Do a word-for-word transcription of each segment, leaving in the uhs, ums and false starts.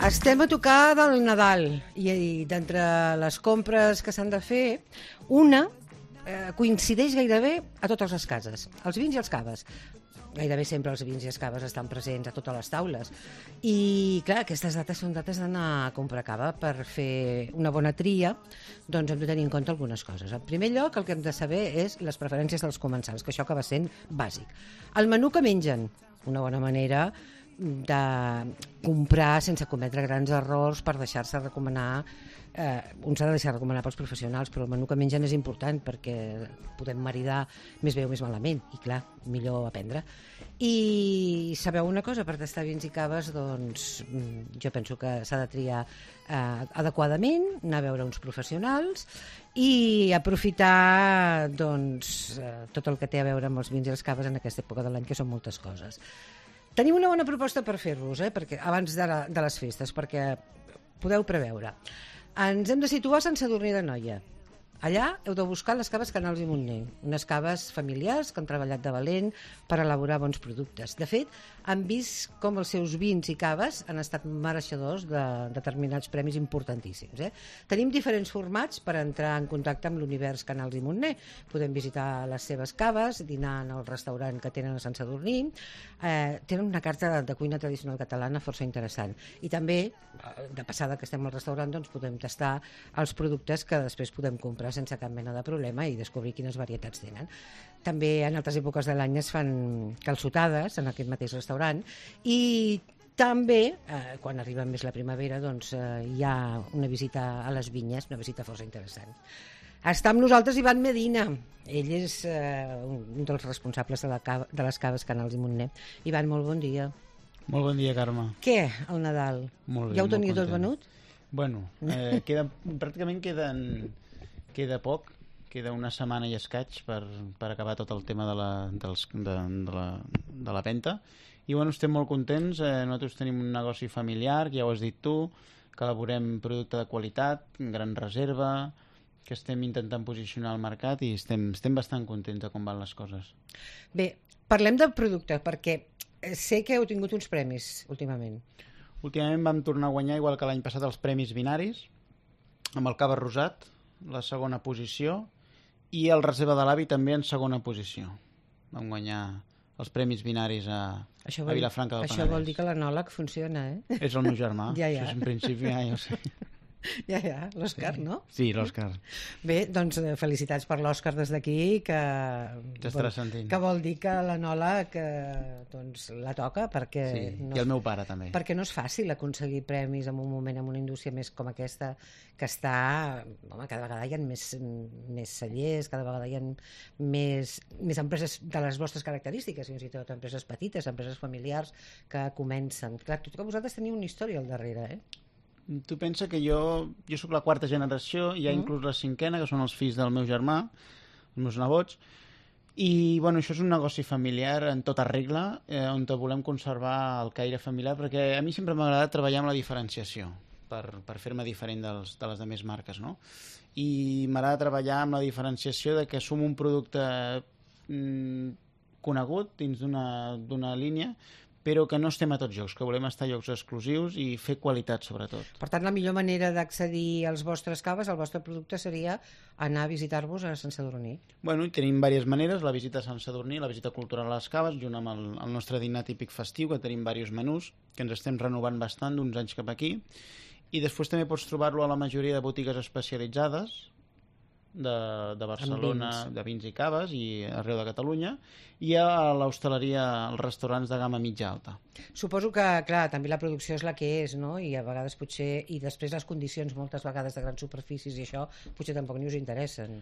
Estem a tocar del Nadal i, i d'entre les compres que s'han de fer, una eh, coincideix gairebé a totes les cases, els vins i els caves. Gairebé sempre els vins i les caves estan presents a totes les taules. I, clar, aquestes dates són dates d'anar a comprar cava. Per fer una bona tria, doncs hem de tenir en compte algunes coses. En primer lloc, el que hem de saber és les preferències dels comensals, que això acaba sent bàsic. El menú que mengen, una bona manera de comprar sense cometre grans errors per deixar-se recomanar. Eh, un s'ha de deixar recomanar pels professionals, però el menú que mengen és important perquè podem maridar més bé o més malament i clar, millor aprendre. I sabeu una cosa, per tastar vins i caves, doncs jo penso que s'ha de triar eh, adequadament, anar a veure uns professionals i aprofitar doncs, eh, tot el que té a veure amb els vins i les caves en aquesta època de l'any, que són moltes coses. Tenim una bona proposta per fer-los, eh? perquè, abans de, la, de les festes, perquè podeu preveure. Ens hem de situar a Sant Sadurní d'Anoia. Allà heu de buscar les caves Canals i Montner, unes caves familiars que han treballat de valent per elaborar bons productes. De fet, han vist com els seus vins i caves han estat mereixedors de determinats premis importantíssims. Eh? Tenim diferents formats per entrar en contacte amb l'univers Canals i Montner. Podem visitar les seves caves, dinar en el restaurant que tenen a Sant Sadurní. Eh, tenen una carta de cuina tradicional catalana força interessant. I també, de passada que estem al restaurant, doncs podem tastar els productes que després podem comprar sense cap mena de problema i descobrir quines varietats tenen. També en altres èpoques de l'any es fan calçotades en aquest mateix restaurant i també, eh, quan arriba més la primavera, doncs, eh, hi ha una visita a les vinyes, una visita força interessant. Està amb nosaltres Ivan Medina. Ell és eh, un dels responsables de, la cava, de les caves Canals i Montner. Ivan, molt bon dia. Molt bon dia, Carme. Què, el Nadal? Molt bé, ja ho teniu tot venut? Bueno, eh, queda, pràcticament queden... Queda poc, queda una setmana i escaig per, per acabar tot el tema de la, dels, de, de, la, de la venta. I bueno, estem molt contents. Eh, nosaltres tenim un negoci familiar, ja ho has dit tu, que elaborem producte de qualitat, gran reserva, que estem intentant posicionar al mercat i estem, estem bastant contents de com van les coses. Bé, parlem del producte, perquè sé que heu tingut uns premis últimament. Últimament vam tornar a guanyar, igual que l'any passat, els premis binaris, amb el Cava Rosat, la segona posició, i el Reserva de l'Avi també en segona posició. Vam guanyar els premis binaris a, això vol, a Vilafranca del això Penedès. Això vol dir que l'anòleg funciona, eh? És el meu germà. Ja, ja. Això és, en principi, ja, ja ho sé. Ja, ja, l'Òscar, sí. no? Sí, l'Òscar. Bé, doncs felicitats per l'Òscar des d'aquí, que, vol, que vol dir que l'anòleg doncs, la toca, perquè... Sí, no, i el meu pare també. Perquè no és fàcil aconseguir premis en un moment en una indústria més com aquesta, que està... Home, cada vegada hi ha més, més cellers, cada vegada hi ha més, més empreses de les vostres característiques, fins i tot empreses petites, empreses familiars que comencen. Clar, tot que vosaltres teniu una història al darrere, eh? Tu pensa que jo, jo sóc la quarta generació, hi ha mm. inclús la cinquena, que són els fills del meu germà, els meus nebots, i bueno, això és un negoci familiar en tota regla, eh, on volem conservar el caire familiar, perquè a mi sempre m'ha agradat treballar amb la diferenciació, per, per fer-me diferent dels, de les altres marques, no? I m'agrada treballar amb la diferenciació de que som un producte mm, conegut dins d'una línia, però que no estem a tots llocs, que volem estar a llocs exclusius i fer qualitat, sobretot. Per tant, la millor manera d'accedir als vostres caves, al vostre producte, seria anar a visitar-vos a Sant Sadurní. Bueno, tenim diverses maneres, la visita a Sant Sadurní, la visita cultural a les caves, junt amb el, el nostre dinar típic festiu, que tenim diversos menús, que ens estem renovant bastant d'uns anys cap aquí, i després també pots trobar-lo a la majoria de botigues especialitzades, de, de Barcelona, vins. de vins i caves i arreu de Catalunya, i a l'hostaleria, als restaurants de gamma mitja alta. Suposo que, clar, també la producció és la que és, no? I a vegades potser, i després les condicions moltes vegades de grans superfícies i això potser tampoc ni us interessen.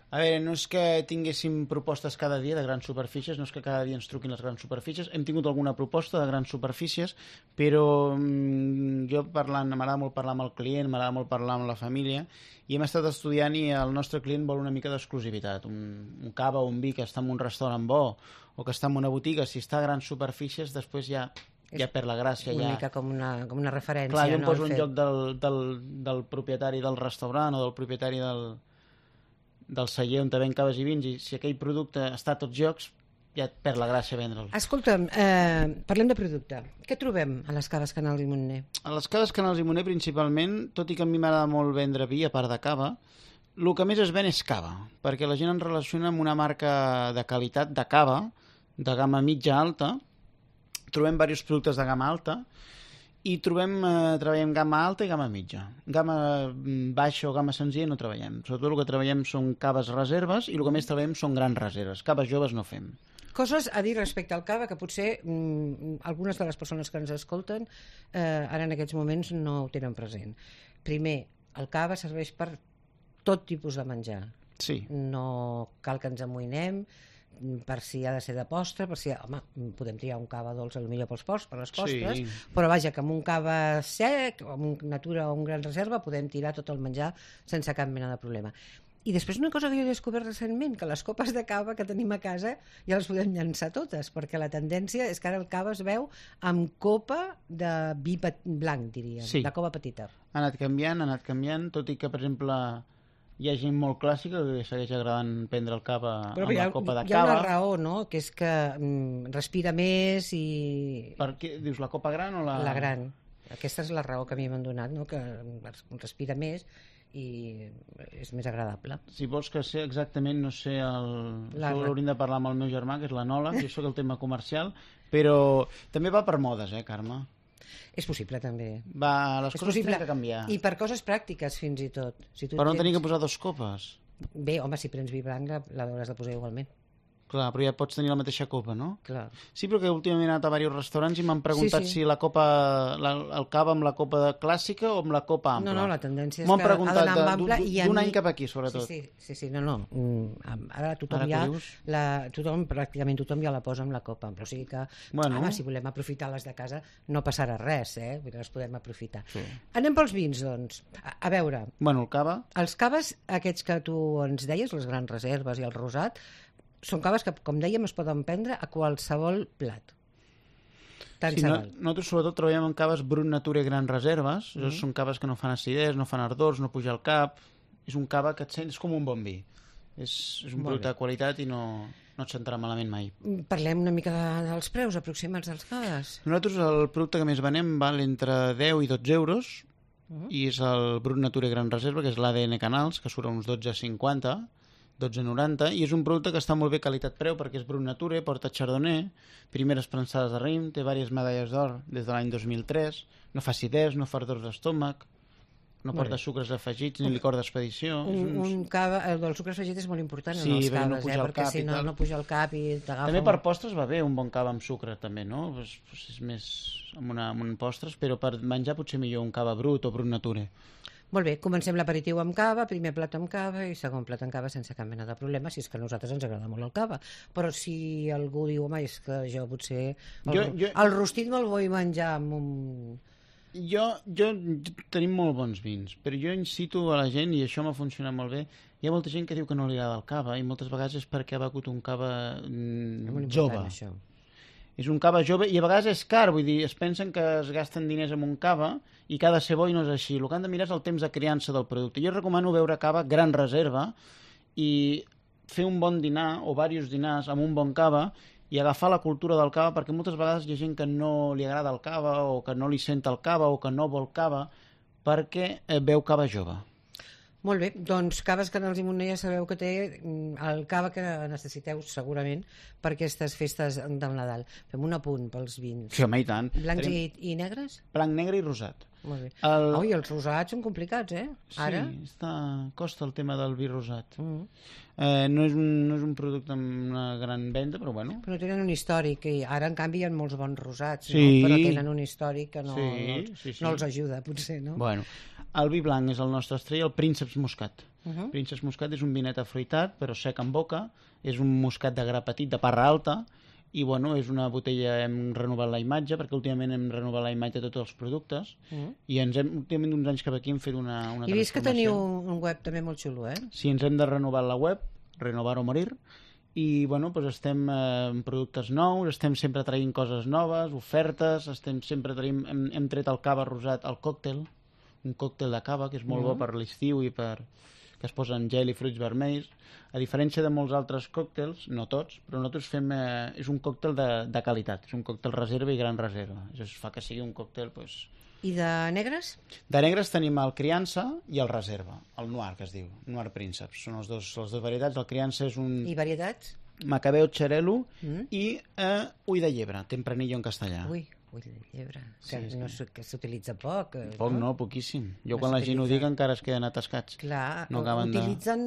A veure, no és que tinguéssim propostes cada dia de grans superfícies, no és que cada dia ens truquin les grans superfícies, hem tingut alguna proposta de grans superfícies, però mmm, jo parlant, m'agrada molt parlar amb el client, m'agrada molt parlar amb la família, i hem estat estudiant i el nostre client vol una mica d'exclusivitat, un, un cava o un vi que està en un restaurant bo, o que està en una botiga, si està a grans superfícies, després ja... ja per la gràcia. Una ja... mica com una, com una referència. Clar, jo em no, poso en lloc del, del, del propietari del restaurant o del propietari del, del celler on te ven caves i vins, i si aquell producte està a tots llocs, ja et perd la gràcia vendre'l. Escolta'm, eh, parlem de producte. Què trobem a les caves Canals i Montner? A les caves Canals i Montner, principalment, tot i que a mi m'agrada molt vendre vi, a part de cava, el que més es ven és cava, perquè la gent en relaciona amb una marca de qualitat de cava, de gamma mitja-alta. Trobem diversos productes de gamma alta, i trobem, eh, treballem gamma alta i gamma mitja. Gamma baixa o gamma senzilla no treballem. Sobretot el que treballem són caves reserves i el que més treballem són grans reserves. Caves joves no fem. Coses a dir respecte al cava que potser mm, algunes de les persones que ens escolten eh, ara en aquests moments no ho tenen present. Primer, el cava serveix per tot tipus de menjar. Sí. No cal que ens amoïnem per si ha de ser de postre, per si, home, podem triar un cava dolç potser pels postres, per les postres, Sí. però vaja, que amb un cava sec, o amb un natura o un gran reserva, podem tirar tot el menjar sense cap mena de problema. I després una cosa que jo he descobert recentment, que les copes de cava que tenim a casa ja les podem llançar totes, perquè la tendència és que ara el cava es veu amb copa de vi blanc, diríem, Sí. de copa petita. Ha anat canviant, ha anat canviant, tot i que, per exemple, hi ha gent molt clàssica que segueix agradant prendre el cava Però amb hi ha, la copa de hi ha cava. una raó, no?, que és que mm, respira més i... Per què? Dius la copa gran o la... La gran. Aquesta és la raó que a mi m'han donat, no?, que respira més i és més agradable. Si vols que sé exactament, no sé, el... La- això l'hauríem de parlar amb el meu germà, que és l'anòleg, jo sóc el tema comercial, però també va per modes, eh, Carme? És possible, també. Va, les És coses possible. tenen que canviar. I per coses pràctiques, fins i tot. Si tu Però no tens- tenir que posar dos copes. Bé, home, si prens vi blanc, la, la hauràs de posar igualment. Clar, però ja pots tenir la mateixa copa, no? Clar. Sí, però que últimament he anat a diversos restaurants i m'han preguntat Sí, sí. si la copa, la, el cava amb la copa de clàssica o amb la copa ampla. No, no, la tendència és M'ho que han preguntat ha d'anar amb de- ampla d'un- i a d'un mi... any cap aquí, sobretot. Sí, sí, sí, sí no, no. Mm, Ara tothom Ara que ja... ho dius. La, tothom, pràcticament tothom ja la posa amb la copa ampla. O sigui que, Bueno. home, si volem aprofitar les de casa, no passarà res, eh? Vull dir, les podem aprofitar. Sí. Anem pels vins, doncs. A, a veure, Bueno, el cava, els caves, aquests que tu ens deies, les grans reserves i el rosat, són caves que, com dèiem, es poden prendre a qualsevol plat. Tant sí, se no, val. nosaltres sobretot treballem amb caves Brut Nature Gran Reserves. Mm -hmm. Són caves que no fan acidesa, no fan ardors, no puja al cap. És un cava que et sents com un bon vi. És, és un Molt producte bé. de qualitat i no, no et sentarà malament mai. Mm, Parlem una mica de, dels preus aproximats dels caves. Nosaltres el producte que més venem val entre deu i dotze euros Uh-huh. i és el Brut Nature Gran Reserva, que és l'A D N Canals, que surt a uns dotze cinquanta, dotze noranta, i és un producte que està molt bé qualitat-preu perquè és Brut Nature, porta chardonnay, primeres prensades de raïm, té diverses medalles d'or des de l'any dos mil tres, no fa acidès, no fa ardors d'estómac, no Molt porta bé. sucres afegits ni licor d'expedició. Un, és uns- un cava, el del sucre afegit és molt important Sí, en els perquè no caves, puja eh? al Perquè cap si i no, tal. no puja al cap i t'agafa... També un- per postres va bé un bon cava amb sucre, també, no? Pues, pues és més amb, una, amb un postres, però per menjar potser millor un cava brut o Brut Nature. Molt bé, comencem l'aperitiu amb cava, primer plat amb cava i segon plat amb cava sense cap mena de problema, si és que a nosaltres ens agrada molt el cava. Però si algú diu, home, és que jo potser... El, Jo- jo, jo- el rostit me'l vull menjar amb un... Jo, jo, jo, tenim molt bons vins, però jo incito a la gent, i això m'ha funcionat molt bé, hi ha molta gent que diu que no li agrada el cava, i moltes vegades és perquè ha begut un cava És mm, molt important, jove. això. És un cava jove, i a vegades és car, vull dir, es pensen que es gasten diners en un cava, i que ha de ser bo i no és així. El que han de mirar és el temps de criança del producte. Jo recomano beure cava gran reserva, i fer un bon dinar, o diversos dinars, amb un bon cava, i agafar la cultura del cava, perquè moltes vegades hi ha gent que no li agrada el cava, o que no li sent el cava, o que no vol cava, perquè eh, beu cava jove. Molt bé, doncs Caves Canals i Montner ja sabeu que té mm, el cava que necessiteu segurament per aquestes festes del Nadal. Fem un apunt pels vins. Sí, home, i tant. Blancs Tenim i, i negres? blanc, negre i rosat. Molt bé. El... Oh, i els rosats són complicats, eh? Ara? Sí, està... costa el tema del vi rosat. Mm. Eh, no, és un, no és un producte amb una gran venda, però bueno. Però no tenen un històric, i ara en canvi hi ha molts bons rosats, Sí. no? Però tenen un històric que no, Sí, no, els, sí, sí. no els ajuda, potser, no? Bueno, el vi blanc és el nostre estrella, el Prínceps Moscat. Uh -huh. Prínceps Moscat és un vinet afruitat, però sec en boca, és un moscat de gra petit, de parra alta, i bueno, és una botella, hem renovat la imatge, perquè últimament hem renovat la imatge de tots els productes, Uh -huh. i ens hem, últimament d'uns anys cap aquí hem fet una, una I vist que transformació. teniu un web també molt xulo, eh? Sí, ens hem de renovar la web, renovar o morir, i bueno, doncs estem eh, amb productes nous, estem sempre traient coses noves, ofertes, estem sempre traient, hem, hem tret el cava rosat, el còctel, un còctel de cava, que és molt Mhm. bo per l'estiu i per que es posen gel i fruits vermells. A diferència de molts altres còctels, no tots, però nosaltres fem... Eh, és un còctel de, de qualitat, és un còctel reserva i gran reserva. Això fa que sigui un còctel... Pues... I de negres? De negres tenim el criança i el reserva, el noir, que es diu, noir prínceps. Són els dos, les dues varietats. El criança és un... I varietats? Macabeo xarelo Mm. i eh, ull de llebre, tempranillo en castellà. Ui, ull de llebre, que, Sí, sí. no, s'u- que s'utilitza poc. eh, Poc no, poquíssim. Jo No quan la gent ho s'utilitza. dic encara es queden atascats. Clar, No ho acaben de- utilitzen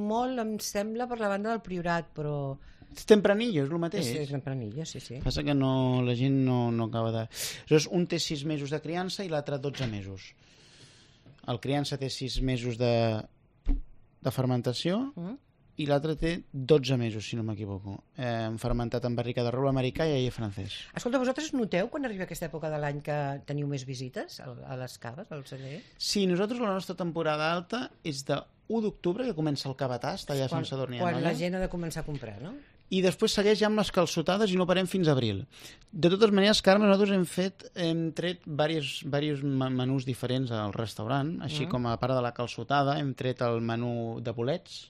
molt, em sembla, per la banda del Priorat, però... És tempranillo, és el mateix. És, és tempranillo, sí, sí. Passa que no, la gent no, no acaba de... Llavors, un té sis mesos de criança i l'altre dotze mesos. El criança té sis mesos de, de fermentació Mm? i l'altre té dotze mesos, si no m'equivoco. Eh, fermentat en barrica de roble americà i aire francès. Escolta, vosaltres noteu quan arriba aquesta època de l'any que teniu més visites a a les caves, al celler? Sí, nosaltres la nostra temporada alta és de u d'octubre, que comença el cavatà, està allà a Sant Sadurní quan Anoia. la gent ha de començar a comprar, no? I després segueix ja amb les calçotades i no parem fins a abril. De totes maneres, Carme, nosaltres hem fet, hem tret diversos, diversos menús diferents al restaurant, així Mm. com a part de la calçotada hem tret el menú de bolets,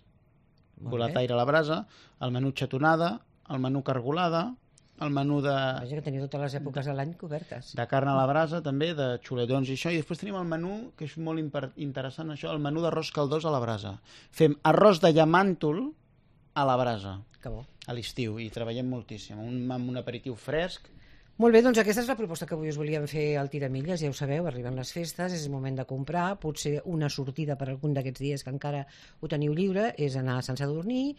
Molt boletaire a la brasa, el menú xatonada, el menú cargolada, el menú de, Vaja, que teniu totes les èpoques de l'any cobertes. de carn a la brasa també, de xuletons i això, i després tenim el menú, que és molt imper- interessant això, el menú d'arròs caldós a la brasa. Fem arròs de llamàntol a la brasa, Que bo. a l'estiu, i treballem moltíssim, un, amb un aperitiu fresc. Molt bé, doncs aquesta és la proposta que avui us volíem fer al Tiramilles, ja ho sabeu, arriben les festes, és el moment de comprar, potser una sortida per algun d'aquests dies que encara ho teniu lliure, és anar a Sant Sadurní,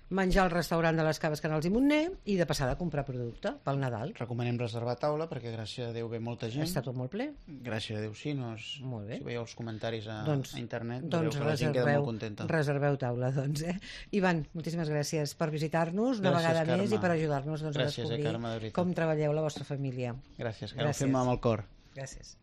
menjar al restaurant de les Caves Canals i Montner i de passada a comprar producte pel Nadal. Recomanem reservar taula perquè gràcies a Déu ve molta gent. Està tot molt ple. Gràcies a Déu sí, no és... Molt bé. Si veieu els comentaris a, Doncs, a internet, doncs veureu que la gent queda reserveu, molt contenta. reserveu taula, doncs, eh? Ivan, moltíssimes gràcies per visitar-nos una Gràcies, vegada Carme. més i per ajudar-nos doncs, a Gràcies, eh, descobrir Carme, de veritat. com treballeu la vostra família. Gràcies, que ho Gràcies. fem amb el cor. Gràcies.